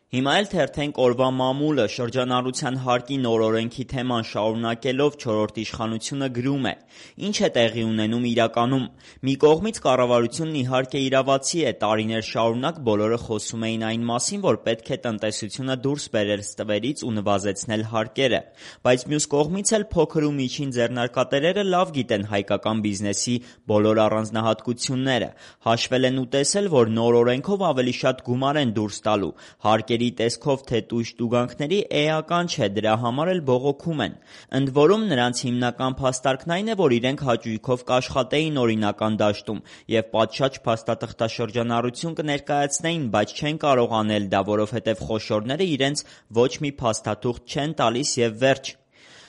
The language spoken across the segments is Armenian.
Հիմա էլ թերթենք օրվա մամուլը շրջանառության հարկի նոր օրենքի թեման շարունակելով չորրորդ իշխանությունը գրում է. ինչ է տեղի ունենում իրականում։ Մի կողմից կառավարությունն իհարկե իրավացի է, տարիներ շարունակ բոլորը խոսում էին այն մասին, որ պետք է տնտեսությունը դուրս բերել ստվերից ու նվազեցնել հարկերը, բայց մյուս կողմից էլ փոքր ու միջին ձեռնարկատերերը լավ գիտեն հայկական բիզնեսի բոլոր առանձնահատկությունները, հաշվել են ու տեսել, որ նոր օրենքով ավելի շատ գումար են դուրս տալու, հարկերի տեսքով թե տույժ տուգանքների էական չէ, դրա համար էլ բողոքում են։ Ընդ որում նրանց հիմնական փաստարկն այն է, որ իրենք հաճույքով կաշխատեին օրինական դաշտում և պատշաճ փաստաթղթաշրջանառություն կներկայացնեին, բայց չեն կարող անել դա, որովհետև խոշորները իրենց ոչ մի փաստաթուղթ չեն տալիս և վերջ։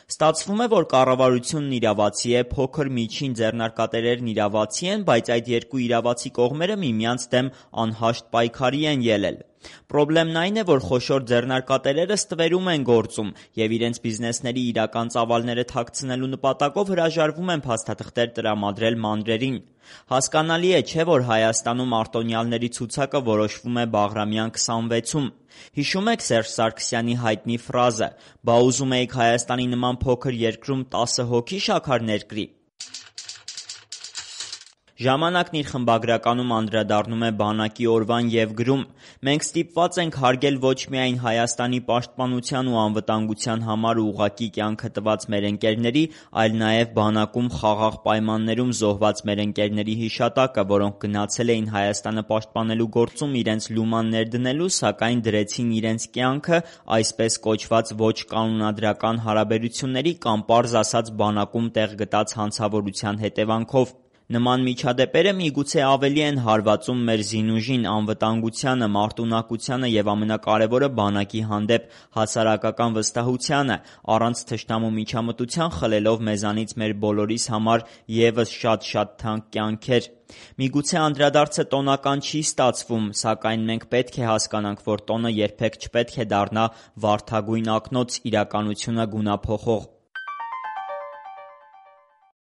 Ստացվում է, որ կառավարությունն իրավացի է, փոքր միջին ձեռնարկատերերն իրավացի են, բայց այդ երկու իրավացի կողմերը միմյանց դեմ անհաշտ պայքարի են ելել։ Պրոբլեմն այն է, որ խոշոր ձեռնարկատերերը ստվերում են գործում և իրենց բիզնեսների իրական ծավալները թաքցնելու նպատակով հրաժարվում են փաստաթղթեր տրամադրել մանրերին։ Հասկանալի է, չէ՞, որ Հայաստանում արտոնյալների ցուցակը որոշվում է Բաղրամյան 26-ում։ Հիշում եք Սերժ Սարգսյանի հայտնի ֆրազը՝ «Բա ուզում էիք Հայաստանի նման փոքր երկրում 10 հոգի շաքար ներկրի»։ Ժամանակն իր խմբագրականում անդրադառնում է բանակի օրվան և գրում. «Մենք ստիպված ենք հարգել ոչ միայն Հայաստանի պաշտպանության ու անվտանգության համար ուղղակի կյանքը տված մեր ընկերների, այլ նաև բանակում խաղաղ պայմաններում զոհված մեր ընկերների հիշատակը, որոնք գնացել էին Հայաստանը պաշտպանելու գործում իրենց լուման ներդնելու, սակայն դրեցին իրենց կյանքը այսպես կոչված ոչ կանոնադրական հարաբերությունների կամ պարզ ասած բանակում տեղ գտած հանցավորության հետևանքով։ Նման միջադեպերը միգուցե ավելի են հարվածում մեր զինուժին, անվտանգությանը, մարտունակությանը և ամենակարևորը բանակի հանդեպ հասարակական վստահությանը, առանց թշնամու միջամտության խլելով մեզանից մեր բոլորիս համար ևս շատ թանկ կյանքեր։ Միգուցե անդրադարձը տոնական չի ստացվում, սակայն մենք պետք է հասկանանք, որ տոնը երբեք չպետք է դառնա վարդագույն ակնոց իրականությունը գունափոխող։